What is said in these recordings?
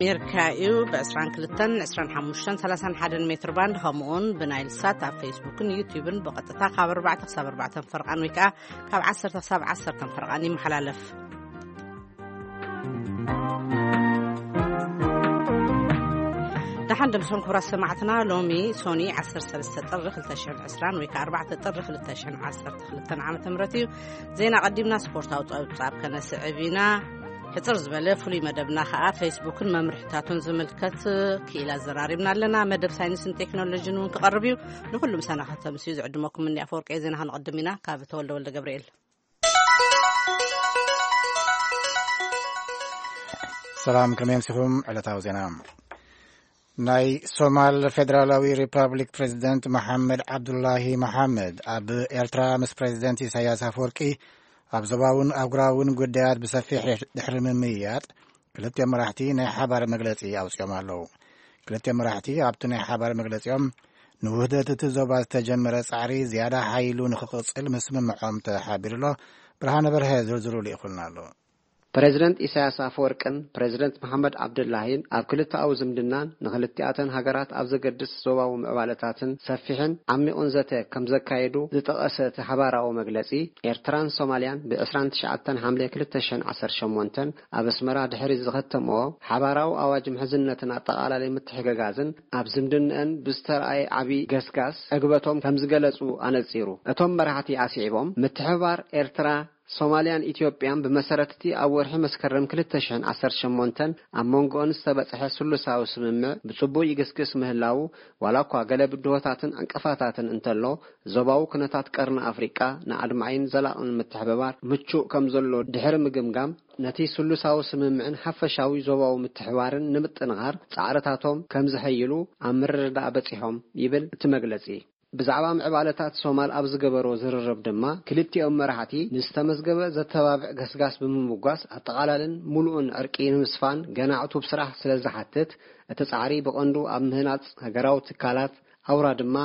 ኣሜሪካ እዩ። ብ22፣ 25፣ 31 ሜትር ባንድ፣ ከምኡውን ብናይል ሳት ኣብ ፌስቡክን ዩቲዩብን ብቐጥታ ካብ ኣርባዕተ ክሳብ ኣርባዕተ ፈርቓን ወይ ከዓ ካብ ዓሰርተ ክሳብ ዓሰርተ ፈርቓን ይመሓላለፍ። ደሓን ደምሶም ክቡራት ሰማዕትና፣ ሎሚ ሶኒ 13 ጥሪ 2020 ወይ ከዓ 4 ጥሪ 2012 ዓመተ ምህረት እዩ። ዜና ቀዲምና ስፖርታዊ ጸብጻብ ከነስዕብ ኢና። ሕጽር ዝበለ ፍሉይ መደብና ከኣ ፌስቡክን መምርሕታቱን ዝምልከት ክኢላ ዘራሪብና ኣለና። መደብ ሳይንስን ቴክኖሎጂን እውን ክቐርብ እዩ። ንኹሉ ምሳና ከተምስዩ ዝዕድመኩም እንዲ ኣፈወርቂ ዜና ክንቕድም ኢና። ካብ ተወልደ ወልደ ገብርኤል። ሰላም፣ ከመይ ኣምሲኹም? ዕለታዊ ዜና። ናይ ሶማል ፌደራላዊ ሪፐብሊክ ፕሬዚደንት መሓመድ ዓብዱላሂ መሓመድ ኣብ ኤርትራ ምስ ፕሬዚደንት ኢሳያስ ኣፈወርቂ ኣብ ዞባውን ኣህጉራውን ጉዳያት ብሰፊሕ ድሕሪ ምምይያጥ፣ ክልቲኦም መራሕቲ ናይ ሓባር መግለጺ ኣውጺኦም ኣለዉ። ክልቲኦም መራሕቲ ኣብቲ ናይ ሓባር መግለጺኦም፣ ንውህደት እቲ ዞባ ዝተጀመረ ጻዕሪ ዝያዳ ሓይሉ ንኽቕጽል ምስምምዖም ተሓቢሩ ኣሎ። ብርሃነ በርሀ ዝርዝሩ ልኢኹልና ኣሎ። ፕሬዝደንት ኢሳያስ ኣፈወርቅን ፕሬዝደንት መሓመድ ዓብዱላሂን ኣብ ክልተኣዊ ዝምድናን ንክልቲኣተን ሃገራት ኣብ ዘገድስ ዞባዊ ምዕባለታትን ሰፊሕን ዓሚቑን ዘተ ከም ዘካየዱ ዝጠቐሰ እቲ ሓባራዊ መግለጺ፣ ኤርትራን ሶማልያን ብ29 ሓምለ 2018 ኣብ ኣስመራ ድሕሪ ዝኸተምዎ ሓባራዊ ኣዋጅ ምሕዝነትን ኣጠቓላሊ ምትሕግጋዝን ኣብ ዝምድንአን ብዝተረኣየ ዓቢ ገስጋስ ዕግበቶም ከም ዝገለጹ ኣነጺሩ። እቶም መራሕቲ ኣስዒቦም፣ ምትሕብባር ኤርትራ ሶማልያን ኢትዮጵያን ብመሰረት እቲ ኣብ ወርሒ መስከረም 2018 ኣብ መንጎኦን ዝተበጽሐ ስሉሳዊ ስምምዕ ብጽቡቕ ይግስግስ ምህላዉ፣ ዋላ እኳ ገለ ብድሆታትን ዕንቅፋታትን እንተሎ፣ ዞባዊ ኩነታት ቀርኒ ኣፍሪቃ ንኣድማዒን ዘላቕን ምትሕብባር ምቹእ ከም ዘሎ ድሕሪ ምግምጋም፣ ነቲ ስሉሳዊ ስምምዕን ሓፈሻዊ ዞባዊ ምትሕባርን ንምጥንኻር ጻዕርታቶም ከም ዘሐይሉ ኣብ ምርድዳእ በጺሖም ይብል እቲ መግለጺ። ብዛዕባ ምዕባለታት ሶማል ኣብ ዝገበሮ ዝርርብ ድማ፣ ክልቲኦም መራሕቲ ንዝተመዝገበ ዘተባብዕ ገስጋስ ብምምጓስ፣ ኣጠቓላልን ሙሉእን ዕርቂ ንምስፋን ገና ዕቱብ ስራሕ ስለ ዝሓትት፣ እቲ ጻዕሪ ብቐንዱ ኣብ ምህናጽ ሃገራዊ ትካላት፣ ኣውራ ድማ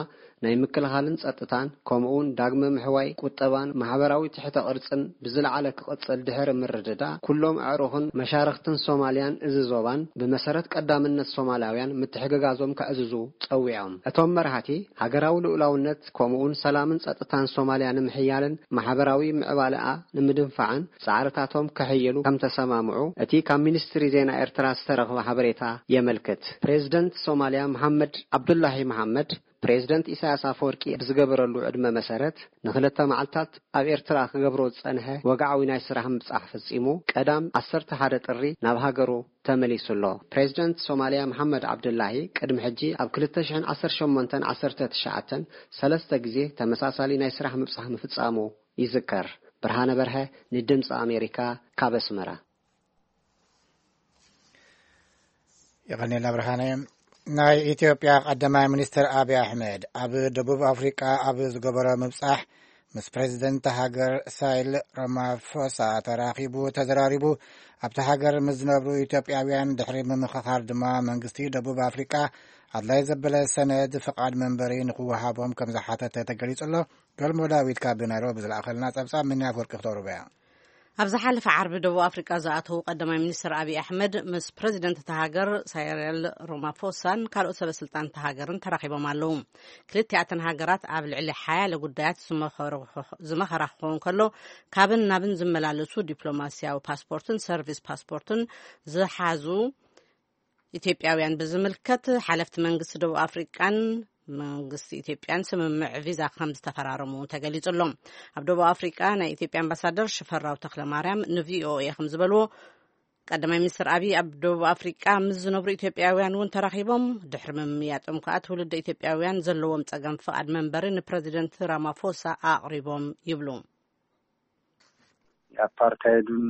ናይ ምክልኻልን ጸጥታን፣ ከምኡውን ዳግመ ምሕዋይ ቁጠባን ማሕበራዊ ትሕተ ቅርጽን ብዝለዓለ ክቕጽል ድሕሪ ምርድዳእ፣ ኩሎም ኣዕሩኽን መሻርኽትን ሶማልያን እዚ ዞባን ብመሰረት ቀዳምነት ሶማላውያን ምትሕግጋዞም ከዕዝዙ ጸዊዖም። እቶም መራሕቲ፣ ሃገራዊ ልኡላውነት ከምኡውን ሰላምን ጸጥታን ሶማልያ ንምሕያልን ማሕበራዊ ምዕባለኣ ንምድንፋዕን ጻዕርታቶም ከሐይሉ ከም ተሰማምዑ እቲ ካብ ሚኒስትሪ ዜና ኤርትራ ዝተረኽበ ሓበሬታ የመልክት። ፕሬዝደንት ሶማልያ መሓመድ ዓብዱላሂ መሓመድ፣ ፕሬዝደንት ኢሳያስ ኣፈወርቂ ብዝገበረሉ ዕድመ መሰረት፣ ንክልተ መዓልታት ኣብ ኤርትራ ክገብሮ ዝጸንሐ ወግዓዊ ናይ ስራሕ ምብጻሕ ፈጺሙ፣ ቀዳም 11 ጥሪ ናብ ሃገሩ ተመሊሱ ኣሎ። ፕሬዝደንት ሶማልያ መሓመድ ዓብዱላሂ ቅድሚ ሕጂ ኣብ 2018-19 ሰለስተ ግዜ ተመሳሳሊ ናይ ስራሕ ምብጻሕ ምፍጻሙ ይዝከር። ብርሃነ በርሀ፣ ንድምፂ ኣሜሪካ፣ ካብ ኣስመራ። የቐኔልና ብርሃነ። ናይ ኢትዮጵያ ቀዳማይ ሚኒስትር ኣብይ ኣሕመድ ኣብ ደቡብ ኣፍሪቃ ኣብ ዝገበሮ ምብጻሕ፣ ምስ ፕሬዚደንት ሃገር ሳይል ራማፎሳ ተራኺቡ ተዘራሪቡ። ኣብቲ ሃገር ምስ ዝነብሩ ኢትዮጵያውያን ድሕሪ ምምኽኻር ድማ፣ መንግስቲ ደቡብ ኣፍሪቃ ኣድላይ ዘበለ ሰነድ ፍቓድ መንበሪ ንክወሃቦም ከም ዝሓተተ ተገሊጹ ኣሎ። ገልሞ ዳዊት ካብ ናይሮቢ ዝለኣኸልና ጸብጻብ፣ ምንያ ኣፈወርቂ ክተቕርቦ እያ። ኣብ ዝሓለፈ ዓርቢ ደቡብ ኣፍሪቃ ዝኣተዉ ቀዳማይ ሚኒስትር ኣብይ ኣሕመድ ምስ ፕሬዚደንት እታ ሃገር ሳይረል ሮማፎሳን ካልኦት ሰበ ስልጣን እታ ሃገርን ተራኺቦም ኣለዉ። ክልቲኣተን ሃገራት ኣብ ልዕሊ ሓያለ ጉዳያት ዝመኸሩ-፣ ዝመኸራ ክኸውን ከሎ፣ ካብን ናብን ዝመላለሱ ዲፕሎማሲያዊ ፓስፖርትን ሰርቪስ ፓስፖርትን ዝሓዙ ኢትዮጵያውያን ብዝምልከት፣ ሓለፍቲ መንግስቲ ደቡብ ኣፍሪቃን መንግስቲ ኢትዮጵያን ስምምዕ ቪዛ ከም ዝተፈራረሙ እውን ተገሊጹ ኣሎ። ኣብ ደቡብ ኣፍሪቃ ናይ ኢትዮጵያ ኣምባሳደር ሽፈራው ተኽለማርያም ንቪኦኤ ከም ዝበልዎ፣ ቀዳማይ ሚኒስትር ኣብይ ኣብ ደቡብ ኣፍሪቃ ምስ ዝነብሩ ኢትዮጵያውያን እውን ተራኺቦም። ድሕሪ ምምያጦም ከኣ፣ ትውልደ ኢትዮጵያውያን ዘለዎም ጸገም ፍቓድ መንበሪ ንፕሬዚደንት ራማፎሳ ኣቕሪቦም ይብሉ። የአፓርታይዱን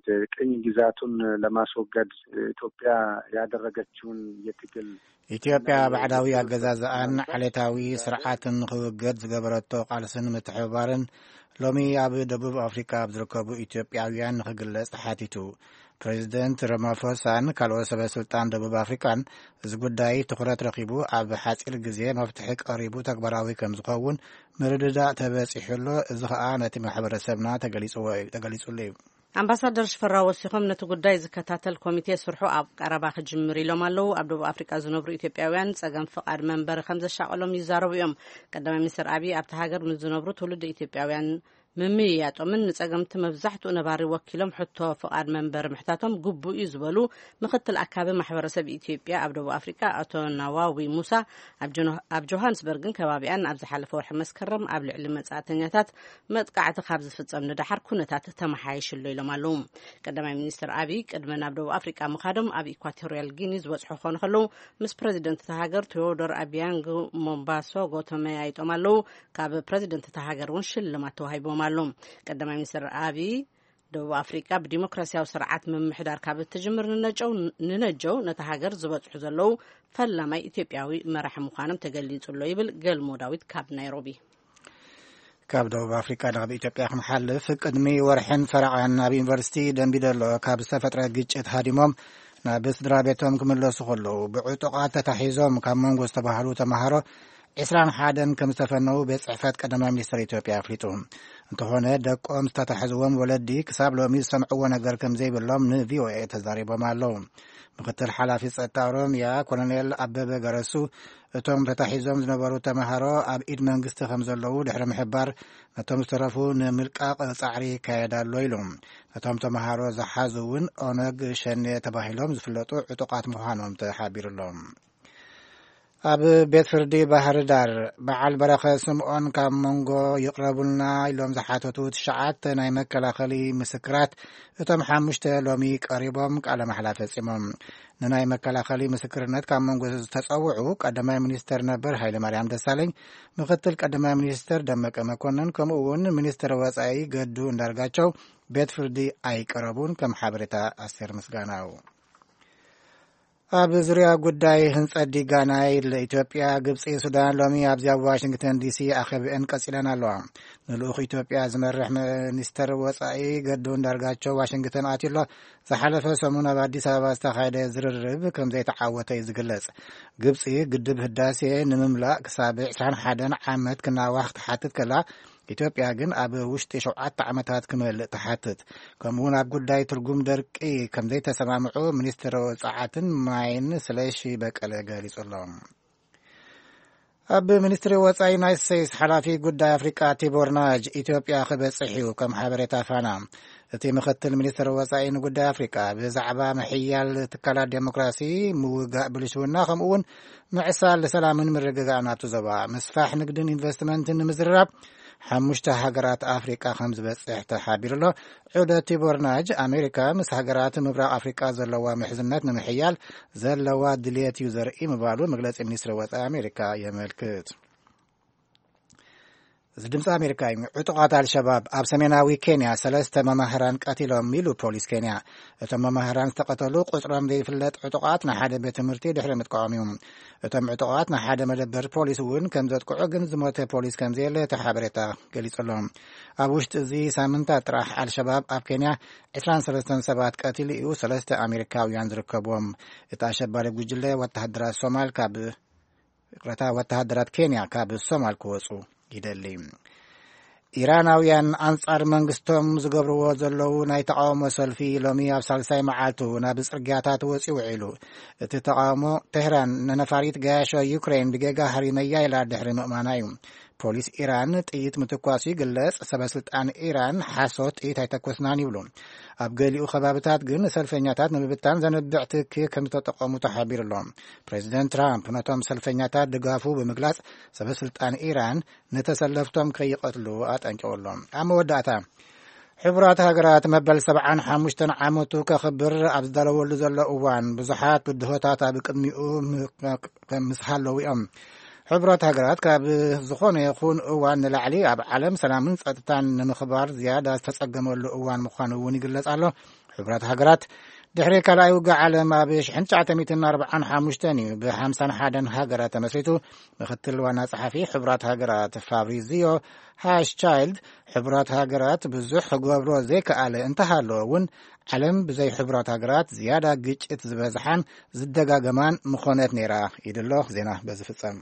የቅኝ ግዛቱን ለማስወገድ ኢትዮጵያ ያደረገችውን የትግል ኢትዮጵያ ባዕዳዊ ኣገዛዝኣን ዓሌታዊ ስርዓትን ንኽውገድ ዝገበረቶ ቃልስን ምትሕብባርን፣ ሎሚ ኣብ ደቡብ ኣፍሪካ ኣብ ዝርከቡ ኢትዮጵያውያን ንኽግለጽ ተሓቲቱ። ፕሬዚደንት ራማፎሳን ካልኦት ሰበ ስልጣን ደቡብ ኣፍሪካን፣ እዚ ጉዳይ ትኹረት ረኺቡ ኣብ ሓፂር ግዜ መፍትሒ ቀሪቡ ተግባራዊ ከም ዝኸውን ምርድዳእ ተበፂሑ ኣሎ። እዚ ኸኣ ነቲ ማሕበረሰብና ተገሊፅዎ እዩ፣ ተገሊፁሉ እዩ። ኣምባሳደር ሽፈራው ወሲኾም፣ ነቲ ጉዳይ ዝከታተል ኮሚቴ ስርሑ ኣብ ቀረባ ክጅምር ኢሎም ኣለዉ። ኣብ ደቡብ ኣፍሪቃ ዝነብሩ ኢትዮጵያውያን ጸገም ፍቓድ መንበሪ ከም ዘሻቐሎም ይዛረቡ እዮም። ቀዳማይ ሚኒስትር ኣብይ ኣብቲ ሃገር ምስ ዝነብሩ ትውልዲ ኢትዮጵያውያን ምምይያጦምን ንጸገምቲ መብዛሕትኡ ነባሪ ወኪሎም ሕቶ ፍቓድ መንበሪ ምሕታቶም ግቡእ እዩ ዝበሉ ምክትል ኣካቢ ማሕበረሰብ ኢትዮጵያ ኣብ ደቡብ ኣፍሪቃ ኣቶ ናዋዊ ሙሳ ኣብ ጆኖ-፣ ኣብ ጆሃንስበርግን ከባቢኣን ኣብ ዝሓለፈ ወርሒ መስከረም ኣብ ልዕሊ መጻእተኛታት መጥቃዕቲ ካብ ዝፍጸም ንደሓር ኩነታት ተመሓይሽሎ ኢሎም ኣለዉ። ቀዳማይ ሚኒስትር ኣብይ ቅድሚ ናብ ደቡብ ኣፍሪቃ ምኻዶም ኣብ ኢኳቶሪያል ጊኒ ዝበጽሑ ክኾኑ ከለዉ ምስ ፕረዚደንት እታ ሃገር ቴዎዶር ኣቢያንግ ሞምባሶ ጎተመያይጦም ኣለዉ። ካብ ፕረዚደንት እታ ሃገር እውን ሽልማት ተዋሂቦም ኣሎ። ቀዳማይ ሚኒስትር ኣብይ ደቡብ ኣፍሪቃ ብዲሞክራሲያዊ ስርዓት ምምሕዳር ካብ እትጅምር ንነጀው፣ ንነጀው ነታ ሃገር ዝበጽሑ ዘለዉ ፈላማይ ኢትዮጵያዊ መራሒ ምዃኖም ተገሊጹ ኣሎ ይብል ገልሞ ዳዊት ካብ ናይሮቢ። ካብ ደቡብ ኣፍሪቃ ናብ ኢትዮጵያ ክንሓልፍ፣ ቅድሚ ወርሕን ፈረቓን ኣብ ዩኒቨርሲቲ ደምቢዶሎ ካብ ዝተፈጥረ ግጭት ሃዲሞም ናብ ስድራ ቤቶም ክምለሱ ከለዉ፣ ብዕጡቓት ተታሒዞም ካብ መንጎ ዝተባህሉ ተምሃሮ ዕስራን ሓደን ከም ዝተፈነዉ ቤት ጽሕፈት ቀዳማይ ሚኒስትር ኢትዮጵያ ኣፍሊጡ። እንተኾነ፣ ደቆም ዝተታሕዝዎም ወለዲ ክሳብ ሎሚ ዝሰምዕዎ ነገር ከም ዘይብሎም ንቪኦኤ ተዛሪቦም ኣለዉ። ምክትል ሓላፊ ጸጥታ ኦሮምያ ኮሎኔል ኣበበ ገረሱ፣ እቶም ተታሒዞም ዝነበሩ ተምሃሮ ኣብ ኢድ መንግስቲ ከም ዘለዉ ድሕሪ ምሕባር፣ ነቶም ዝተረፉ ንምልቃቕ ጻዕሪ ይካየድ ኣሎ ኢሉ። ነቶም ተምሃሮ ዝሓዙ እውን ኦነግ ሸኔ ተባሂሎም ዝፍለጡ ዕጡቓት ምዃኖም ተሓቢሩ ኣሎ። ኣብ ቤት ፍርዲ ባህር ዳር፣ በዓል በረኸ ስምኦን ካብ መንጎ ይቕረቡልና ኢሎም ዝሓተቱ ትሽዓተ ናይ መከላኸሊ ምስክራት፣ እቶም ሓሙሽተ ሎሚ ቀሪቦም ቃለ ማሕላ ፈጺሞም። ንናይ መከላኸሊ ምስክርነት ካብ መንጎ ዝተጸውዑ ቀዳማይ ሚኒስተር ነበር ሃይለማርያም ደሳለኝ፣ ምክትል ቀዳማይ ሚኒስተር ደመቀ መኮንን፣ ከምኡ እውን ሚኒስተር ወጻኢ ገዱ እንዳርጋቸው ቤት ፍርዲ ኣይቀረቡን። ከም ሓበሬታ ኣስቴር ምስጋናው። ኣብ ዙርያ ጉዳይ ህንጸት ዲጋ ናይል፣ ኢትዮጵያ፣ ግብጺ፣ ሱዳን ሎሚ ኣብዚ ኣብ ዋሽንግተን ዲሲ ኣኼብአን ቀጺለን ኣለዋ። ንልኡኽ ኢትዮጵያ ዝመርሕ ሚኒስተር ወጻኢ ገዱ እንዳርጋቸው ዋሽንግተን ኣትዩ ኣሎ። ዝሓለፈ ሰሙን ኣብ ኣዲስ ኣበባ ዝተኻየደ ዝርርብ ከም ዘይተዓወተ እዩ ዝግለጽ። ግብጺ ግድብ ህዳሴ ንምምላእ ክሳብ ዕስራን ሓደን ዓመት ክናዋሕ ትሓትት ከላ፣ ኢትዮጵያ ግን ኣብ ውሽጢ ሸውዓተ ዓመታት ክመልእ ትሓትት። ከምኡውን ኣብ ጉዳይ ትርጉም ደርቂ ከም ዘይተሰማምዑ ሚኒስትር ጸዓትን ማይን ስለሺ በቀለ ገሊጹ ኣሎ። ኣብ ሚኒስትሪ ወጻኢ ዩናይትድ ስቴትስ ሓላፊ ጉዳይ ኣፍሪቃ ቲቦር ናጅ ኢትዮጵያ ክበጽሕ እዩ። ከም ሓበሬታ ፋና፣ እቲ ምክትል ሚኒስትር ወጻኢ ንጉዳይ ኣፍሪቃ ብዛዕባ ምሕያል ትካላት ዴሞክራሲ፣ ምውጋእ ብልሽውና፣ ከምኡ እውን ምዕሳል ሰላምን ምርግጋእን ኣብቲ ዞባ፣ ምስፋሕ ንግድን ኢንቨስትመንትን ንምዝርራብ ሓሙሽተ ሃገራት ኣፍሪቃ ከም ዝበጽሕ ተሓቢሩ ኣሎ። ዑደት ቲቦር ናጅ፣ ኣሜሪካ ምስ ሃገራት ምብራቕ ኣፍሪቃ ዘለዋ ምሕዝነት ንምሕያል ዘለዋ ድልየት እዩ ዘርኢ ምባሉ መግለጺ ሚኒስትሪ ወጻኢ ኣሜሪካ የመልክት። እዚ ድምፂ ኣሜሪካ እዩ። ዕጡቓት ኣልሸባብ ኣብ ሰሜናዊ ኬንያ ሰለስተ መማህራን ቀቲሎም ኢሉ ፖሊስ ኬንያ። እቶም መማህራን ዝተቐተሉ ቁፅሮም ዘይፍለጥ ዕጡቓት ንሓደ ቤት ትምህርቲ ድሕሪ ምጥቃዖም እዩ። እቶም ዕጡቓት ንሓደ መደበር ፖሊስ እውን ከም ዘጥቅዑ፣ ግን ዝሞተ ፖሊስ ከም ዘየለ እቲ ሓበሬታ ገሊጹ ኣሎ። ኣብ ውሽጢ እዚ ሳምንታት ጥራሕ ኣልሸባብ ኣብ ኬንያ ዕስራን ሰለስተን ሰባት ቀቲሉ እዩ፣ ሰለስተ ኣሜሪካውያን ዝርከብዎም። እቲ ኣሸባሪ ጉጅለ ወተሃደራት ሶማል ካብ፣ ይቕረታ፣ ወተሃደራት ኬንያ ካብ ሶማል ክወጹ ይደሊ። ኢራናውያን ኣንጻር መንግስቶም ዝገብርዎ ዘለዉ ናይ ተቃውሞ ሰልፊ ሎሚ ኣብ ሳልሳይ መዓልቱ ናብ ጽርግያታት ወጺኡ ውዒሉ። እቲ ተቃውሞ፣ ቴህራን ንነፋሪት ገያሾ ዩክሬን ብጌጋ ሃሪመያ ኢላ ድሕሪ ምእማና እዩ። ፖሊስ ኢራን ጥይት ምትኳሱ ይግለጽ። ሰበ ስልጣን ኢራን ሓሶት፣ ጥይት ኣይተኮስናን ይብሉ። ኣብ ገሊኡ ከባብታት ግን ሰልፈኛታት ንምብታን ዘንብዕ ትኪ ከም ዝተጠቐሙ ተሓቢሩ ኣሎ። ፕሬዚደንት ትራምፕ ነቶም ሰልፈኛታት ድጋፉ ብምግላጽ፣ ሰበ ስልጣን ኢራን ንተሰለፍቶም ከይቐትሉ ኣጠንቂቑ ኣሎ። ኣብ መወዳእታ፣ ሕቡራት ሃገራት መበል ሰብዓን ሓሙሽተን ዓመቱ ከኽብር ኣብ ዝዳለወሉ ዘሎ እዋን፣ ብዙሓት ብድሆታት ኣብ ቅድሚኡ ም-፣ ምስ ሃለዉ እዮም። ሕቡራት ሃገራት ካብ ዝኾነ ይኹን እዋን ንላዕሊ ኣብ ዓለም ሰላምን ጸጥታን ንምኽባር ዝያዳ ዝተጸገመሉ እዋን ምዃኑ እውን ይግለጽ ኣሎ። ሕቡራት ሃገራት ድሕሪ ካልኣይ ውግእ ዓለም ኣብ ሽሕን ትሽዓተ ሚእትን ኣርባዓን ሓሙሽተን እዩ ብሓምሳን ሓደን ሃገራት ተመስሪቱ። ምክትል ዋና ጸሓፊ ሕቡራት ሃገራት ፋብሪዚዮ ሃሽቻይልድ፣ ሕቡራት ሃገራት ብዙሕ ክገብሮ ዘይከኣለ እንተሃለወ እውን፣ ዓለም ብዘይ ሕቡራት ሃገራት ዝያዳ ግጭት ዝበዝሓን ዝደጋገማን ምኾነት ነይራ። ኢሉ ኣሎ። ዜና በዚ ፍጸም።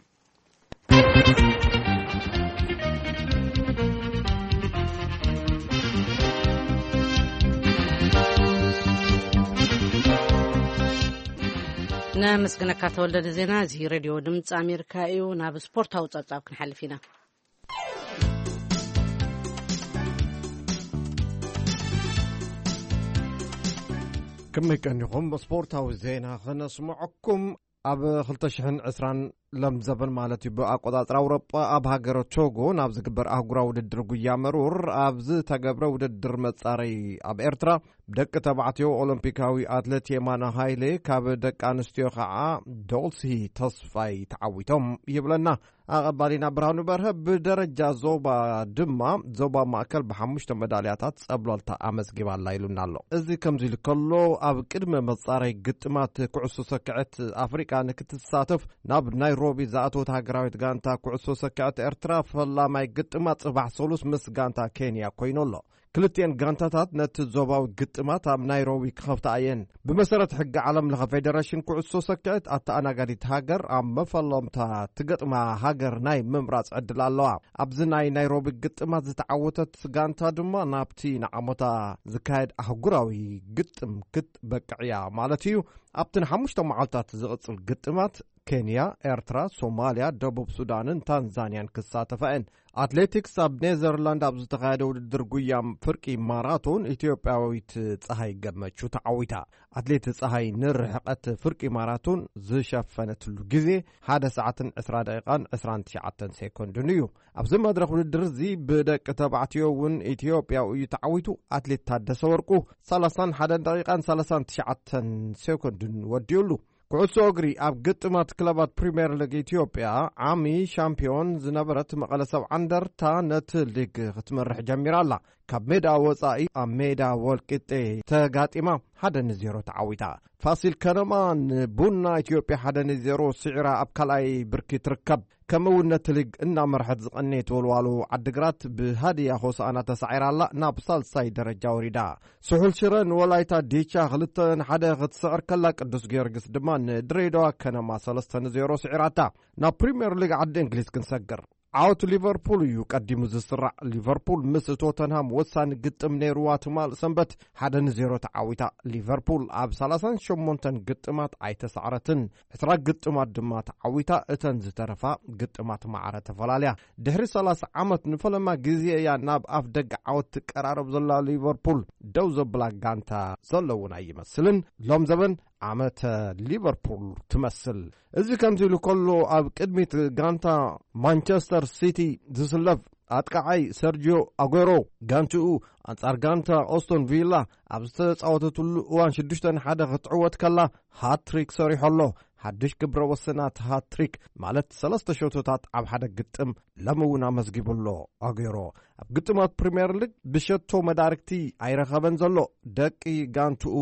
ነመስግነካ ተወልደ ንዜና። እዚ ሬድዮ ድምፂ ኣሜሪካ እዩ። ናብ ስፖርታዊ ፀብፃብ ክንሓልፍ ኢና። ከመይ ቀኒኹም? ስፖርታዊ ዜና ከነስምዐኩም። ኣብ ክልተ ሽሕን ዕስራን ሎም ዘበን ማለት እዩ፣ ብኣቆጻጽራ ኣውሮጳ፣ ኣብ ሃገረ ቶጎ ናብ ዝግበር ኣህጉራዊ ውድድር ጉያ መሩር ኣብ ዝተገብረ ውድድር መጻረይ፣ ኣብ ኤርትራ ብደቂ ተባዕትዮ ኦሎምፒካዊ ኣትሌት የማነ ሃይሌ ካብ ደቂ ኣንስትዮ ከዓ ዶልሲ ተስፋይ ተዓዊቶም ይብለና ኣቐባሊና ብርሃኑ በርሀ። ብደረጃ ዞባ ድማ ዞባ ማእከል ብሓሙሽተ መዳልያታት ጸብለልታ ኣመዝጊባ ኣላ ኢሉና ኣሎ። እዚ ከምዚ ኢሉ ከሎ፣ ኣብ ቅድመ መጻረይ ግጥማት ኩዕሶ ሰክዐት ኣፍሪቃ ንክትሳተፍ ናብ ናይሮቢ ዝኣተወት ሃገራዊት ጋንታ ኩዕሶ ሰክዐት ኤርትራ ፈላማይ ግጥማ ጽባሕ ሰሉስ ምስ ጋንታ ኬንያ ኮይኑ ኣሎ። ክልቲኤን ጋንታታት ነቲ ዞባዊ ግጥማት ኣብ ናይሮቢ ክኸፍታ እየን። ብመሰረት ሕጊ ዓለም ለኸ ፌደሬሽን ኩዕሶ ሰክዐት፣ ኣተኣናጋዲት ሃገር ኣብ መፈለምታ ትገጥማ ሃገር ናይ ምምራጽ ዕድል ኣለዋ። ኣብዚ ናይ ናይሮቢ ግጥማት ዝተዓወተት ጋንታ ድማ ናብቲ ንዓሞታ ዝካየድ ኣህጉራዊ ግጥም ክትበቅዕ እያ ማለት እዩ። ኣብቲ ንሓሙሽተ መዓልታት ዝቕጽል ግጥማት ኬንያ፣ ኤርትራ፣ ሶማልያ፣ ደቡብ ሱዳንን ታንዛንያን ክሳተፋ እየን። ኣትሌቲክስ፣ ኣብ ኔዘርላንድ ኣብ ዝተኻየደ ውድድር ጉያ ፍርቂ ማራቶን ኢትዮጵያዊት ፀሃይ ገመቹ ተዓዊታ። ኣትሌት ፀሃይ ንርሕቀት ፍርቂ ማራቶን ዝሸፈነትሉ ግዜ ሓደ ሰዓትን ዕስራ ደቂቃን ዕስራን ትሽዓተን ሴኮንድን እዩ። ኣብዚ መድረኽ ውድድር እዚ ብደቂ ተባዕትዮ እውን ኢትዮጵያዊ እዩ ተዓዊቱ። ኣትሌት ታደሰ ወርቁ ሰላሳን ሓደን ደቂቃን ሰላሳን ትሽዓተን ሴኮንድን ወዲኡሉ። ኩዕሶ እግሪ፣ ኣብ ግጥማት ክለባት ፕሪምየር ሊግ ኢትዮጵያ ዓሚ ሻምፒዮን ዝነበረት መቐለ ሰብዓ እንደርታ ነቲ ሊግ ክትመርሕ ጀሚራ ኣላ። ካብ ሜዳ ወጻኢ ኣብ ሜዳ ወልቂጤ ተጋጢማ ሓደ ንዜሮ ተዓዊታ። ፋሲል ከነማ ንቡና ኢትዮጵያ ሓደ ንዜሮ ስዒራ ኣብ ካልኣይ ብርኪ ትርከብ። ከምኡ እውን ነቲ ሊግ እናመርሐት ዝቐነየት ወልዋሎ ዓዲግራት ብሃድያ ሆሳዕና ተሳዒራ ኣላ፣ ናብ ሳልሳይ ደረጃ ወሪዳ። ስሑል ሽረ ንወላይታ ዲቻ ክልተ ንሓደ ክትስዕር ከላ፣ ቅዱስ ጊዮርጊስ ድማ ንድሬዳዋ ከነማ ሰለስተ ንዜሮ ስዒራታ። ናብ ፕሪምየር ሊግ ዓዲ እንግሊዝ ክንሰግር። ዓወት ሊቨርፑል እዩ ቀዲሙ ዝስራዕ። ሊቨርፑል ምስ ቶተንሃም ወሳኒ ግጥም ነይርዋ ትማል ሰንበት ሓደ ንዜሮ ተዓዊታ። ሊቨርፑል ኣብ ሰላሳን ሸሞንተን ግጥማት ኣይተሳዕረትን። ዕስራ ግጥማት ድማ ተዓዊታ። እተን ዝተረፋ ግጥማት ማዕረ ተፈላለያ። ድሕሪ ሰላሳ ዓመት ንፈለማ ግዜ እያ ናብ ኣፍ ደገ ዓወት ትቀራረብ ዘላ ሊቨርፑል። ደው ዘብላ ጋንታ ዘለውን ኣይመስልን። ሎም ዘበን ዓመተ ሊቨርፑል ትመስል። እዚ ከምዚ ኢሉ ከሎ፣ ኣብ ቅድሚት ጋንታ ማንቸስተር ሲቲ ዝስለፍ ኣጥቃዓይ ሰርጂዮ ኣጎሮ፣ ጋንትኡ ኣንጻር ጋንታ ኦስቶን ቪላ ኣብ ዝተጻወተትሉ እዋን ሽዱሽተ ንሓደ ክትዕወት ከላ ሃትሪክ ሰሪሑ ኣሎ። ሓድሽ ግብረ ወሰናት ሃትሪክ ማለት ሰለስተ ሸቶታት ኣብ ሓደ ግጥም ሎሚ እውን ኣመዝጊቡ ኣሎ ኣጎሮ። ኣብ ግጥማት ፕሪምየር ሊግ ብሸቶ መዳርግቲ ኣይረኸበን ዘሎ። ደቂ ጋንትኡ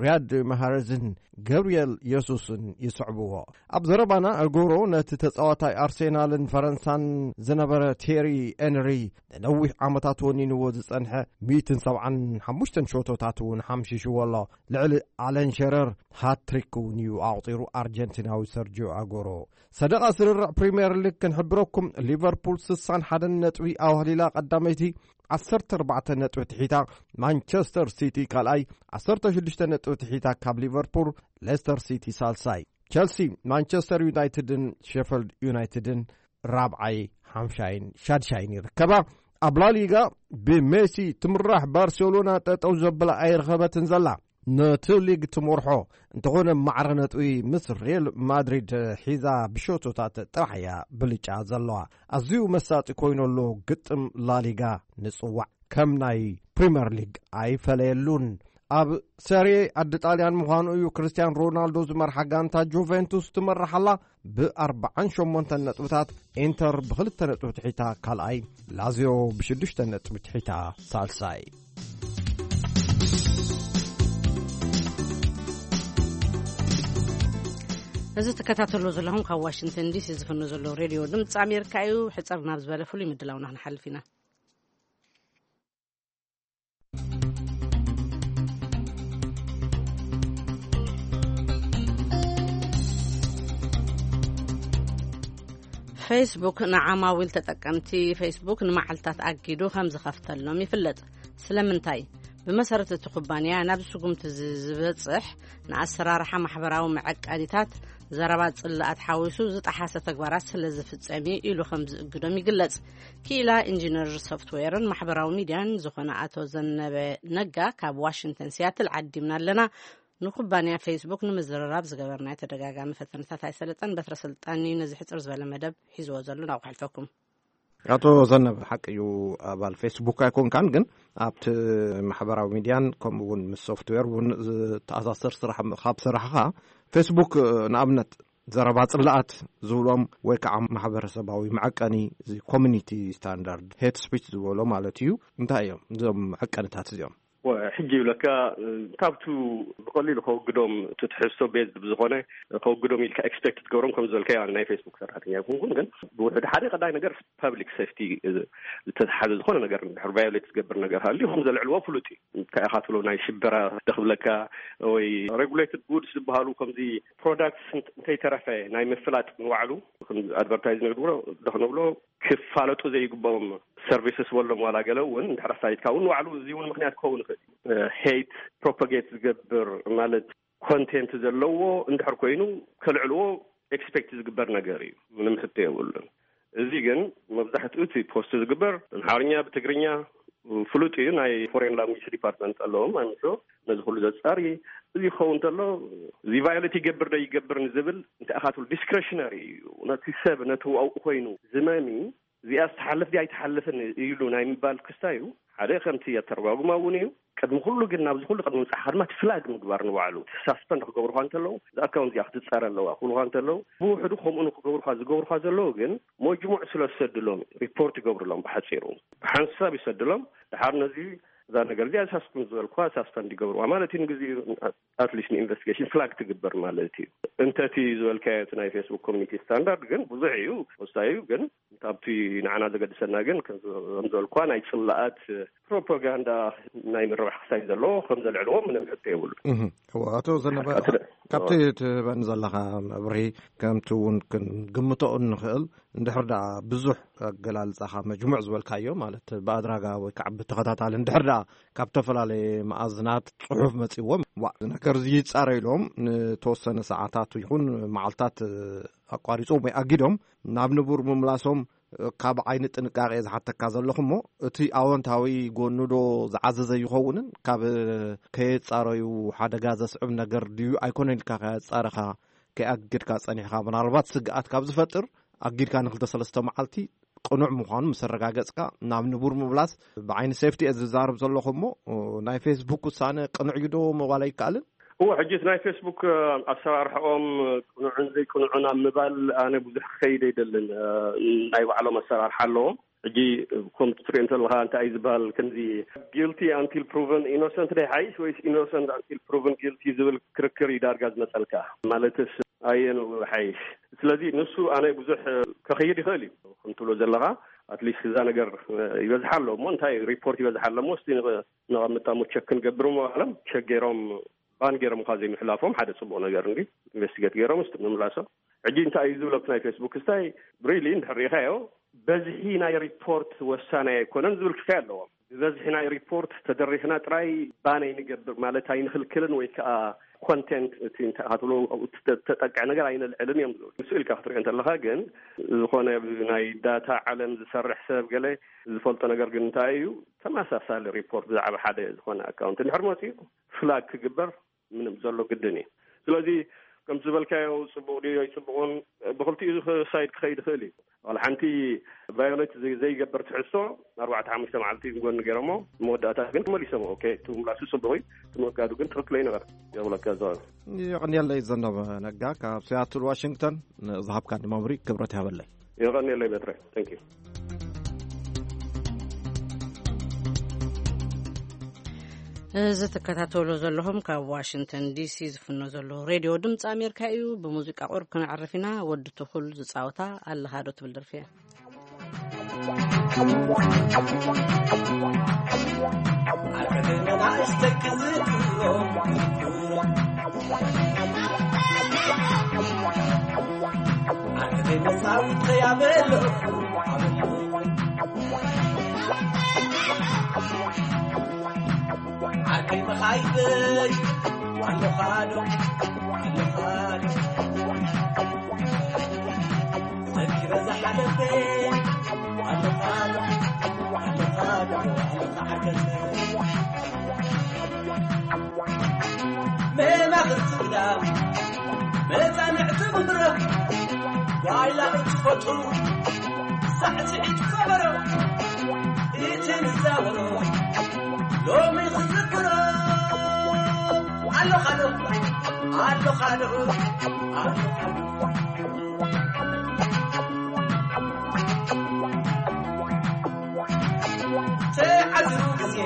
ሪያድ ማሃረዝን ገብርኤል የሱስን ይስዕብዎ። ኣብ ዘረባና ኣጎሮ ነቲ ተጻዋታይ ኣርሴናልን ፈረንሳን ዝነበረ ቴሪ ኤንሪ ንነዊሕ ዓመታት ወኒንዎ ዝጸንሐ ሚእትን ሰብዓን ሓሙሽተን ሸቶታት እውን ሓምሺሽዎ ኣሎ። ልዕሊ ኣለን ሸረር ሃትሪክ እውን እዩ ኣቑጺሩ ኣርጀንቲናዊ ሰርጂዮ ኣጎሮ። ሰደቓ ስርርዕ ፕሪምየር ሊግ ክንሕብረኩም፣ ሊቨርፑል ስሳን ሓደን ነጥቢ ኣዋህሊላ ቀዳመይቲ፣ ዓሰርተ ኣርባዕተ ነጥቢ ትሒታ ማንቸስተር ሲቲ ካልኣይ፣ ዓሰርተ ሽዱሽተ ነጥቢ ትሒታ ካብ ሊቨርፑል፣ ሌስተር ሲቲ ሳልሳይ። ቸልሲ፣ ማንቸስተር ዩናይትድን ሼፈልድ ዩናይትድን ራብዓይ፣ ሓምሻይን ሻድሻይን ይርከባ። ኣብ ላሊጋ ብሜሲ ትምራሕ ባርሴሎና ጠጠው ዘብላ ኣይረኸበትን ዘላ። ነቲ ሊግ ትመርሖ እንተኾነ፣ ማዕረ ነጥቢ ምስ ሪል ማድሪድ ሒዛ ብሸቶታት ጥራሕ እያ ብልጫ ዘለዋ። ኣዝዩ መሳጢ ኮይኑ ኣሎ ግጥም ላሊጋ። ንጽዋዕ ከም ናይ ፕሪምየር ሊግ ኣይፈለየሉን። ኣብ ሰሪ ዓዲ ጣልያን ምዃኑ እዩ። ክርስቲያን ሮናልዶ ዝመርሓ ጋንታ ጁቬንቱስ ትመርሓላ ብኣርባዓን ሸሞንተን ነጥብታት። ኢንተር ብኽልተ ነጥቢ ትሒታ ካልኣይ፣ ላዚዮ ብሽዱሽተ ነጥቢ ትሒታ ሳልሳይ። እዚ ትከታተሉ ዘለኹም ካብ ዋሽንግተን ዲሲ ዝፍኖ ዘሎ ሬድዮ ድምፂ ኣሜሪካ እዩ። ሕፅር ናብ ዝበለ ፍሉይ ምድላውና ክንሓልፍ ኢና። ፌስቡክ ንዓማዊል ተጠቀምቲ ፌስቡክ ንመዓልታት ኣጊዱ ከም ዝኸፍተሎም ይፍለጥ። ስለምንታይ? ብመሰረት እቲ ኩባንያ ናብ ስጉምቲ ዝ- ዝበጽሕ ንኣሰራርሓ ማሕበራዊ መዐቀኒታት፣ ዘረባ ጽላኣት ሓዊሱ ዝጠሓሰ ተግባራት ስለ ዝፍጸም እዩ ኢሉ ከም ዝእግዶም ይግለጽ። ክኢላ ኢንጂነር ሶፍትዌርን ማሕበራዊ ሚድያን ዝኾነ ኣቶ ዘነበ ነጋ ካብ ዋሽንግተን ሲያትል ዓዲምና ኣለና። ንኩባንያ ፌስቡክ ንምዝርራብ ዝገበርናዮ ተደጋጋሚ ፈተነታት ኣይሰለጠን። በትረ ስልጣን እዩ ነዚ ሕጽር ዝበለ መደብ ሒዝዎ ዘሎ፣ ናብ ክሕልፈኩም። ኣቶ ዘነበ፣ ሓቂ እዩ፣ ኣባል ፌስቡክ ኣይኮንካን፣ ግን ኣብቲ ማሕበራዊ ሚድያን ከምኡ እውን ምስ ሶፍትዌር እውን ዝተኣሳሰር ስራሕ ካብ ሰራሕኻ፣ ፌስቡክ ንኣብነት ዘረባ ጽላኣት ዝብሎም ወይ ከዓ ማሕበረሰባዊ መዐቀኒ፣ እዚ ኮሚኒቲ ስታንዳርድ፣ ሄት ስፒች ዝበሎ ማለት እዩ። እንታይ እዮም እዞም መዐቀንታት እዚኦም? ሕጂ ይብለካ፣ ካብቱ ብቐሊሉ ከወግዶም እቲ ትሕዝቶ ቤዝድ ብዝኾነ ከወግዶም ኢልካ ኤክስፔክት ትገብሮም፣ ከም ዝበልካዮ ኣነ ናይ ፌስቡክ ሰራሕተኛ ይኹንኩን፣ ግን ብውሕዱ ሓደ ቀዳይ ነገር ፐብሊክ ሴፍቲ ዝተተሓዘ ዝኾነ ነገር እንድሕር ቫዮሌት ዝገብር ነገር ሃልዩ ከም ዘልዕልዎ ፍሉጥ እዩ። እንታይ ኢኻ ትብሎ፣ ናይ ሽበራ ደኽብለካ ወይ ሬጉሌትድ ጉድስ ዝበሃሉ ከምዚ ፕሮዳክትስ እንተይተረፈ ናይ ምፍላጥ ንባዕሉ ከም ኣድቨርታይዝ ንግብሮ ደኽነብሎ ክፋለጡ ዘይግብኦም ሰርቪስስ ወሎም ዋላ ገለ እውን እንድሕር ኣሳይድካ እውን ንባዕሉ እዚ እውን ምክንያት ክኸውን ይኽእል እዩ። ሄይት ፕሮፓጌት ዝገብር ማለት ኮንቴንት ዘለዎ እንድሕር ኮይኑ ከልዕልዎ ኤክስፔክት ዝግበር ነገር እዩ። ምንም ሕቶ የብሉን። እዚ ግን መብዛሕትኡ እቲ ፖስት ዝግበር ብኣምሓርኛ ብትግርኛ ፍሉጥ እዩ። ናይ ፎሬን ላንጉጅ ዲፓርትመንት ኣለዎም ኣምሾ ነዚ ኩሉ ዘጻሪ። እዚ ክኸውን እንተሎ እዚ ቫዮሌት ይገብር ዶ ይገብር ንዝብል እንታይ ኢኻ ትብል ዲስክሬሽነሪ እዩ። ነቲ ሰብ ነቲ ዋኡ ኮይኑ ዝመሚ እዚኣ ዝተሓልፍ ድያ ኣይተሓልፍን ኢሉ ናይ ምባል ክስታይ እዩ። ሓደ ከምቲ ኣተረጓጉማ እውን እዩ። ቅድሚ ኩሉ ግን ናብዚ ኩሉ ቅድሚ ምብጻሕካ ድማ እቲ ፍላግ ምግባር ንባዕሉ ሳስፐንድ ክገብሩካ እንተለዉ እዚ ኣካውንት እዚኣ ክትጻረ ኣለዋ ክብሉካ እንተለዉ ብውሕዱ ከምኡ ንክገብሩካ ዝገብሩካ ዘለዉ ግን መጅሙዕ ስለ ዝሰድሎም ሪፖርት ይገብሩሎም። ብሓጺሩ ብሓንሳብ ይሰድሎም። ድሓር ነዚ እዛ ነገር እዚኣ ሳስኩን ዝበልኩዋ ሳስፐንድ ይገብርዋ ማለት እዩ። ንግዜኡ ኣትሊስት ንኢንቨስቲጌሽን ፍላግ ትግበር ማለት እዩ። እንተ እቲ ዝበልካዮ እቲ ናይ ፌስቡክ ኮሚኒቲ ስታንዳርድ ግን ብዙሕ እዩ፣ ወሳኝ እዩ። ግን ካብቲ ንዓና ዘገድሰና ግን ከም ዝበልኳ ናይ ጽላኣት ፕሮፓጋንዳ ናይ ምርባሕ ክሳይ ዘለዎ ከም ዘልዕልዎ ምንም ሕቶ የብሉ። እህ፣ እወ፣ ኣቶ ዘነበ፣ ኣቶ ደ-፣ ካብቲ እወ። ትህበኒ ዘለኻ መብርሂ ከምቲ እውን ክንግምቶ እንኽእል፣ እንድሕር ደኣ ብዙሕ ኣገላልጻኻ መጅሙዕ ዝበልካዮ፣ ማለት ብኣድራጋ ወይ ከዓ ብተኸታታሊ እንድሕር ደኣ ካብ ዝተፈላለየ መኣዝናት ጽሑፍ መጺዎም፣ ዋ፣ እዚ ነገር እዚ ይጻረ ኢሎም ንተወሰነ ሰዓታት ይኹን መዓልታት ኣቋሪጾም ወይ ኣጊዶም ናብ ንቡር ምምላሶም ካብ ዓይኒ ጥንቃቄ ዝሓተካ ዘለኹ እሞ፣ እቲ ኣወንታዊ ጎኑ ዶ ዝዓዘዘ ይኸውንን ካብ ከየጻረዩ ሓደጋ ዘስዕብ ነገር ድዩ ኣይኮነን ኢልካ ከየጻረኻ ከይኣግድካ ጸኒሕካ፣ ምናልባት ስግኣት ካብ ዝፈጥር ኣጊድካ ንክልተ ሰለስተ መዓልቲ ቅኑዕ ምዃኑ ምስ ኣረጋገጽካ ናብ ንቡር ምምላስ ብዓይኒ ሴፍቲ እየ ዝዛረብ ዘለኹ እሞ፣ ናይ ፌስቡክ ውሳነ ቅኑዕ እዩ ዶ ምባል ኣይከኣልን? እወ፣ ሕጂ እቲ ናይ ፌስቡክ ኣሰራርሕኦም ቅኑዕን ዘይቅኑዕን ኣብ ምባል ኣነ ብዙሕ ክኸይድ ኣይደልን። ናይ ባዕሎም ኣሰራርሓ ኣለዎም። ሕጂ ከምቲ ትሪኦ እንተለኻ እንታይ እዩ ዝበሃል፣ ከምዚ ጊልቲ ኣንቲል ፕሩቨን ኢኖሰንት ዶ ይሓይሽ ወይስ ኢኖሰንት ኣንቲል ፕሩቨን ጊልቲ ዝብል ክርክር እዩ ዳርጋ ዝመፀልካ። ማለትስ ኣየኑ ይሓይሽ? ስለዚ ንሱ ኣነ ብዙሕ ከኽይድ ይኽእል እዩ። ከም ትብሎ ዘለኻ ኣትሊስት እዛ ነገር ይበዝሓ ኣሎ እሞ እንታይ ሪፖርት ይበዝሓ ኣሎ እሞ እስቲ ንቐ-፣ ነቐምጣ እሞ ቸክ ክንገብር እሞ በሃሎም ቸክ ገይሮም ባን ገይሮም እኳ ዘይምሕላፎም ሓደ ጽቡቕ ነገር እንዲ ኢንቨስቲጌት ገይሮም እስቲ ምምላሶም። ሕጂ እንታይ እዩ ዝብለኩ ናይ ፌስቡክ ስታይ ሪሊ እንድሕር ርኢኻዮ በዝሒ ናይ ሪፖርት ወሳናይ ኣይኮነን ዝብል ክሳይ ኣለዎም። ብበዝሒ ናይ ሪፖርት ተደሪኽና ጥራይ ባን ኣይንገብር ማለት ኣይንኽልክልን ወይ ከዓ ኮንቴንት እቲ እንታይ ኢኻ ትብሎ ኣብኡ እተ-፣ ተጠቅዕ ነገር ኣይነልዕልን እዮም ዝብሉ። ንሱ ኢልካ ክትሪኦ እንተለኻ ግን ዝኾነ ናይ ዳታ ዓለም ዝሰርሕ ሰብ ገለ ዝፈልጦ ነገር ግን እንታይ እዩ ተመሳሳሊ ሪፖርት ብዛዕባ ሓደ ዝኾነ ኣካውንት እንድሕር መፂኡ ፍላግ ክግበር ምንም ዘሎ ግድን እዩ። ስለዚ ከም ዝበልካዮ ጽቡቕ ድዩ ኣይጽቡቕን ብኽልቲኡ ሳይድ ክኸይድ ይኽእል እዩ። ዋላ ሓንቲ ቫዮሌት ዘይ-፣ ዘይገብር ትሕዝቶ ኣርባዕተ ሓሙሽተ መዓልቲ ጎኒ ገይሮሞ መወዳእታ ግን መሊሶሞ። ኦኬ፣ እቲ ምላሱ ጽቡቕ እዩ፣ እቲ ምእጋዱ ግን ትኽክል ኣይነበረ። የብለካ ዘዋል። የቐንየለይ ዘነበ ነጋ ካብ ሲያትል ዋሽንግተን፣ ንዝሃብካኒ መምሪ ክብረት ይሃበለይ። የቐንየለይ በትረ። Thank you። እዚ ትከታተሉ ዘለኹም ካብ ዋሽንግተን ዲሲ ዝፍኖ ዘሎ ሬድዮ ድምፂ ኣሜሪካ እዩ። ብሙዚቃ ቁርብ ክነዕርፍ ኢና። ወዲ ትኹል ዝፃወታ ኣለኻ ዶ ትብል ደርፊ እያ። ኣለኻዶ ኣለኻዶ ዘኪረ ዝሓለፈ ኣለኻዶ ኣለኻዶ ኣለኻ ዓገሰ መማኽርቲ ግዳም መጻንዕቲ ምድረኽ ጓይላ እትፈቱ ሳዕስዒት ከበሮ እቲ ንዛወሮ ሎሚ ክዝክሮ ኣለኻዶ ኣለኻዶ ኣለኻዶ ተዓዚሩ ግዜ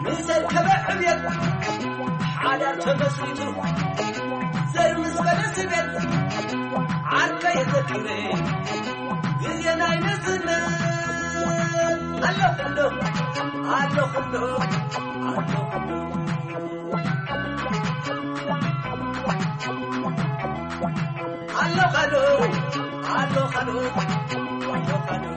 ምስ ኣርከበ ዕብየት ሓዳር ተመስሪቱ ዘር ምስ በለ ስቤት ዓርከ የዘክረ ግዜ ናይ ንዝነት ኣለኹ እንዶ ኣለኹ እንዶ ኣለኹ እንዶ ኣለኻዶ ኣለኻዶ ኣለኻዶ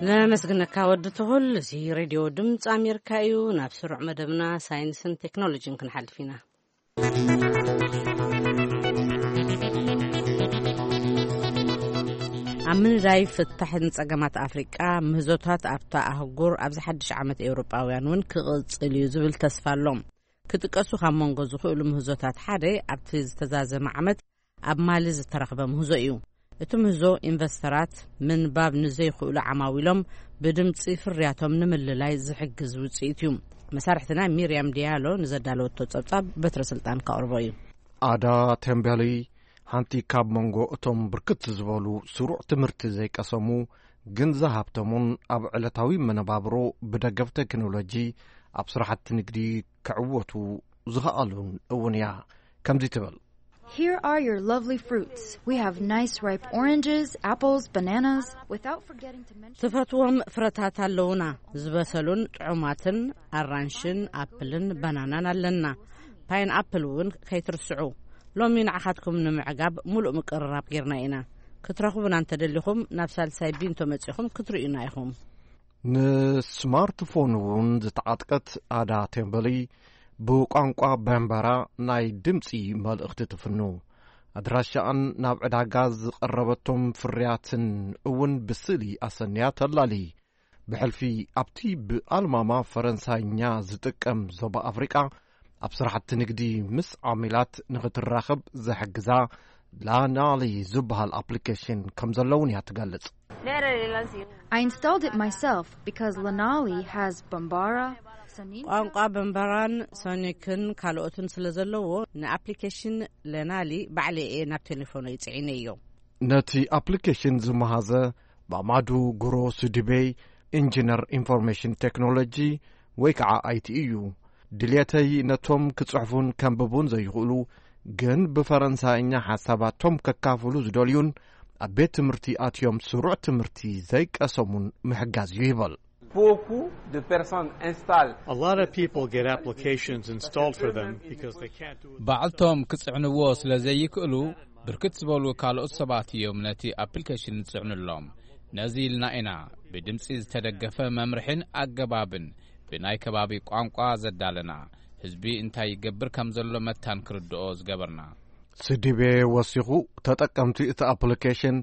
ነመስግነካ ወዲ ትኹል። እዚ ሬድዮ ድምፂ ኣሜሪካ እዩ። ናብ ስሩዕ መደብና ሳይንስን ቴክኖሎጂን ክንሓልፍ ኢና። ኣብ ምንዳይ ፍታሕን ጸገማት ኣፍሪቃ ምህዞታት ኣብታ ኣህጉር ኣብዚ ሓድሽ ዓመት ኤውሮጳውያን እውን ክቕጽል እዩ ዝብል ተስፋ ኣሎ። ክጥቀሱ ካብ መንጎ ዝኽእሉ ምህዞታት ሓደ ኣብቲ ዝተዛዘመ ዓመት ኣብ ማሊ ዝተረኽበ ምህዞ እዩ። እቲ ምህዞ ኢንቨስተራት ምንባብ ንዘይኽእሉ ዓማዊሎም ብድምፂ ፍርያቶም ንምልላይ ዝሕግዝ ውፅኢት እዩ። መሳርሕትና ሚርያም ዲያሎ ንዘዳለወቶ ጸብጻብ በትረ ስልጣን ከቕርቦ እዩ። ኣዳ ቴምቤሊ ሓንቲ ካብ መንጎ እቶም ብርክት ዝበሉ ስሩዕ ትምህርቲ ዘይቀሰሙ ግን ዝሃብተሙን ኣብ ዕለታዊ መነባብሮ ብደገፍ ቴክኖሎጂ ኣብ ስራሕቲ ንግዲ ክዕወቱ ዝኸኣሉን እውን እያ። ከምዚ ትብል። Here are your lovely fruits. We have nice ripe oranges, apples, bananas, without forgetting to mention ትፈትዎም ፍረታት ኣለውና፣ ዝበሰሉን ጥዑማትን ኣራንሽን ኣፕልን ባናናን ኣለና። ፓይን ኣፕል እውን ከይትርስዑ። ሎሚ ንዓኻትኩም ንምዕጋብ ሙሉእ ምቅርራብ ጌርና ኢና። ክትረኽቡና እንተደሊኹም ናብ ሳልሳይ ቢንቶ መጺኹም ክትርእዩና ኢኹም። ንስማርትፎን እውን ዝተዓጥቀት ኣዳ ቴምበሊ ብቋንቋ በምበራ ናይ ድምፂ መልእኽቲ ትፍኑ። ኣድራሻኣን ናብ ዕዳጋ ዝቐረበቶም ፍርያትን እውን ብስእሊ ኣሰንያ ተላሊ። ብሕልፊ ኣብቲ ብኣልማማ ፈረንሳይኛ ዝጥቀም ዞባ ኣፍሪቃ ኣብ ስራሕቲ ንግዲ ምስ ዓሚላት ንኽትራኸብ ዘሕግዛ ላናሊ ዝበሃል ኣፕሊኬሽን ከም ዘለውን እያ ትገልጽ። I installed it myself because Lanali has Bambara, Soninka. ቋንቋ በምበራን ሶኒክን ካልኦትን ስለ ዘለዎ ንኣፕሊኬሽን ለናሊ ባዕለ እየ ናብ ቴሌፎነይ ጽዒነዮ። ነቲ ኣፕሊኬሽን ዝመሃዘ ባማዱ ጉሮ ሱዲቤይ ኢንጂነር ኢንፎርሜሽን ቴክኖሎጂ ወይ ከዓ ኣይቲ እዩ። ድልየተይ ነቶም ክጽሕፉን ከንብቡን ዘይኽእሉ ግን ብፈረንሳይኛ ሓሳባቶም ከካፍሉ ዝደልዩን ኣብ ቤት ትምህርቲ ኣትዮም ስሩዕ ትምህርቲ ዘይቀሰሙን ምሕጋዝ እዩ ይበል። Beaucoup de personnes installent. A lot of people get applications installed for them because they can't do it. ባዕልቶም ክጽዕንዎ ስለ ዘይክእሉ ብርክት ዝበሉ ካልኦት ሰባት እዮም ነቲ ኣፕሊኬሽን ዝጽዕኑሎም። ነዚ ኢልና ኢና ብድምጺ ዝተደገፈ መምርሕን ኣገባብን ብናይ ከባቢ ቋንቋ ዘዳለና። ህዝቢ እንታይ ይገብር ከም ዘሎ መታን ክርድኦ ዝገበርና። ስዲቤ ወሲኹ ተጠቀምቲ እቲ ኣፕሊኬሽን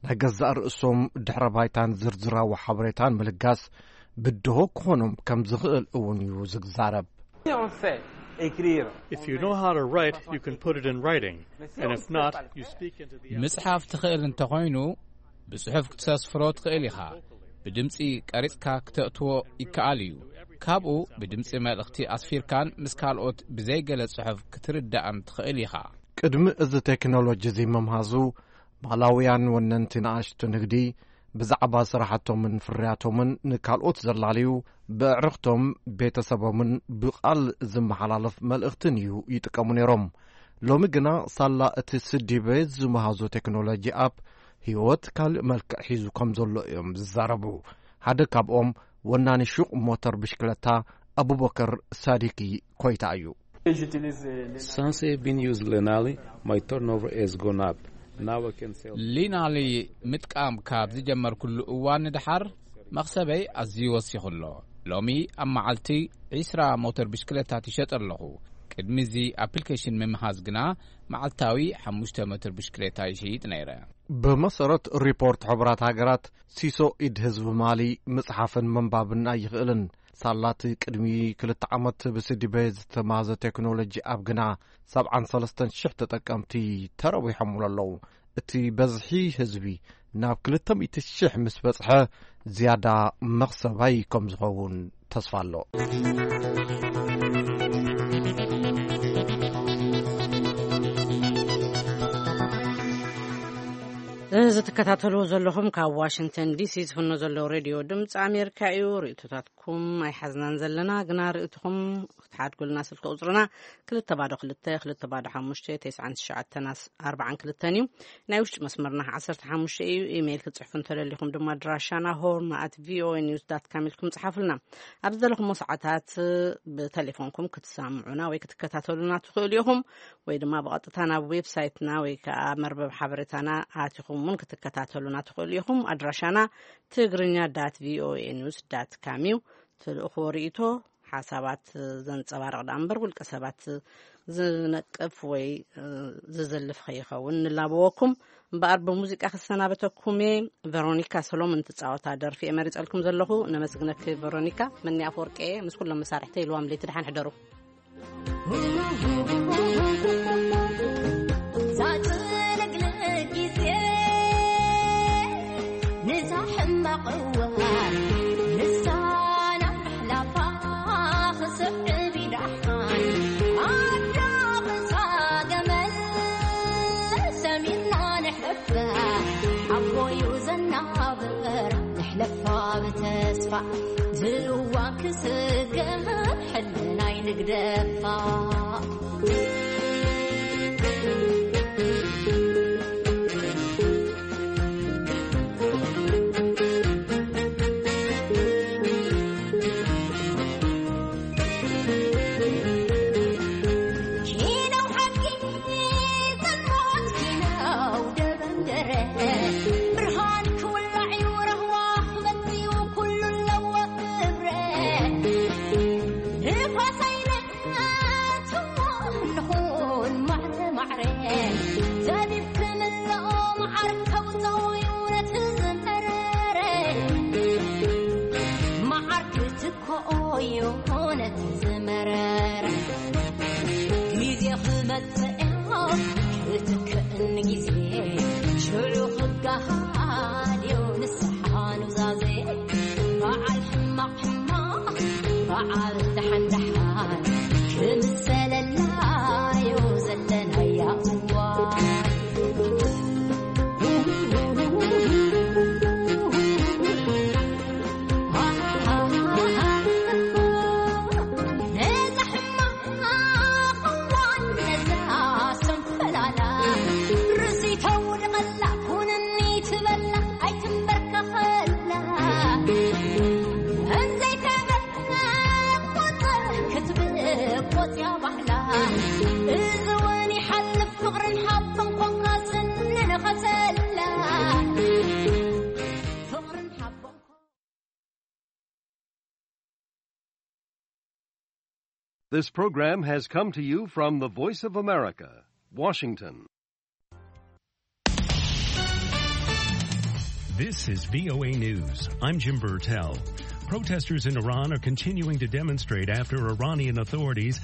ናይ ገዛእ ርእሶም ድሕረ ባይታን ዝርዝራዊ ሓበሬታን ምልጋስ ብድሆ ክኾኖም ከም ዝኽእል እውን እዩ ዝዛረብ። On sait écrire. If you know how to write, you can put it in writing. And if not, you speak into the ምጽሓፍ ትኽእል እንተኾይኑ፣ ብጽሑፍ ክትሰስፍሮ ትኽእል ኢኻ። ብድምጺ ቀሪጽካ ክተእትዎ ይከኣል እዩ። ካብኡ ብድምጺ መልእኽቲ ኣስፊርካን ምስ ካልኦት ብዘይገለ ጽሑፍ ክትርዳእን ትኽእል ኢኻ። ቅድሚ እዚ ቴክኖሎጂ እዚ ምምሃዙ፣ ማላውያን ወነንቲ ንኣሽቱ ንግዲ ብዛዕባ ስራሕቶምን ፍርያቶምን ንካልኦት ዘላልዩ፣ ብኣዕርኽቶም፣ ቤተሰቦምን ብቓል ዝመሓላለፍ መልእኽትን እዩ ይጥቀሙ ነይሮም። ሎሚ ግና ሳላ እቲ ስዲበ ዝመሃዞ ቴክኖሎጂ ኣፕ ህይወት ካልእ መልክዕ ሒዙ ከም ዘሎ እዮም ዝዛረቡ። ሓደ ካብኦም ወናኒ ሹቕ ሞተር ብሽክለታ ኣቡበከር ሳዲቂ ኮይታ እዩ። Since I've been used Lenali, my turnover has gone up. Now I can sell. ሊናሊ ምጥቃም ካብ ዝጀመርኩሉ እዋን ንደሓር መኽሰበይ ኣዝዩ ወሲኹ ኣሎ። ሎሚ ኣብ መዓልቲ ዒስራ ሞተር ብሽክለታት ይሸጥ ኣለኹ። ቅድሚ እዚ ኣፕሊኬሽን ምምሃዝ ግና መዓልታዊ ሓሙሽተ ሞተር ብሽክለታ ይሽይጥ ነይረ። ብመሰረት ሪፖርት ሕቡራት ሃገራት፣ ሲሶ ኢድ ህዝቢ ማሊ ምጽሓፍን ምንባብን ኣይኽእልን። ሳላ እቲ ቅድሚ ክልተ ዓመት ብስዲበ ዝተማህዘ ቴክኖሎጂ ኣብ ግና ሰብዓን ሰለስተን ሽሕ ተጠቀምቲ ተረዊሖምሉ ኣለዉ። እቲ በዝሒ ህዝቢ ናብ ክልተ ሚእቲ ሽሕ ምስ በጽሐ፣ ዝያዳ መኽሰባይ ከም ዝኸውን ተስፋ ኣሎ። እዚ ትከታተልዎ ዘለኹም ካብ ዋሽንግተን ዲሲ ዝፍኖ ዘሎ ሬድዮ ድምፂ ኣሜሪካ እዩ። ርእቶታትኩም ኣይሓዝናን ዘለና፣ ግና ርእትኹም ክትሓድጉልና ስልኪ ቁፅርና ክልተ ባዶ ክልተ ክልተ ባዶ ሓሙሽተ ተስዓን ትሽዓተን ኣርባዓን ክልተን እዩ። ናይ ውሽጢ መስመርና ዓሰርተ ሓሙሽተ እዩ። ኢሜይል ክትፅሕፉ እንተደሊኹም ድማ ኣድራሻና ሆርን ኣት ቪኦኤ ኒውስ ዳት ካም ኢልኩም ፅሓፉልና። ኣብ ዝደለኹሞ ሰዓታት ብቴሌፎንኩም ክትሰምዑና ወይ ክትከታተሉና ትኽእሉ ኢኹም፣ ወይ ድማ ብቐጥታ ናብ ዌብሳይትና ወይ ከዓ መርበብ ሓበሬታና ኣቲኹም እውን ክትከታተሉና ትኽእሉ ኢኹም። ኣድራሻና ትግርኛ ዳት ቪኦኤ ኒውስ ዳት ካም እዩ። ትልእኽዎ ርእይቶ ሓሳባት ዘንጸባርቕ ደኣ እምበር ውልቀ ሰባት ዝነቅፍ ወይ ዝዝልፍ ከይኸውን ንላበወኩም። እምበኣር ብሙዚቃ ክሰናበተኩም እየ። ቨሮኒካ ሰሎሞን ትጻወታ ደርፊ እየ መሪጸልኩም ዘለኹ። ነመስግነኪ ቨሮኒካ። መኒ ኣፈወርቂ እየ ምስ ኩሎም መሳርሕተይ። ኢልዋም ለይቲ ደሓን ሕደሩ። ዛጽለግለግ ግዜ ንዛ ሕማቕ እዋን ንሳና ምሕላፋ ክስዕብ ይደሓን ኣዳቕሳ ገመል ሰሚርና ንሕለፋ ሓቦዩ ዘናብር ንሕለፋ ብተስፋ ዝእዋን ክስገር ሕልናይ ንግደፋ። This program has come to you from the Voice of America, Washington. This is V O A News. I'm Jim Burtell. Protesters in Iran are continuing to demonstrate after Iranian authorities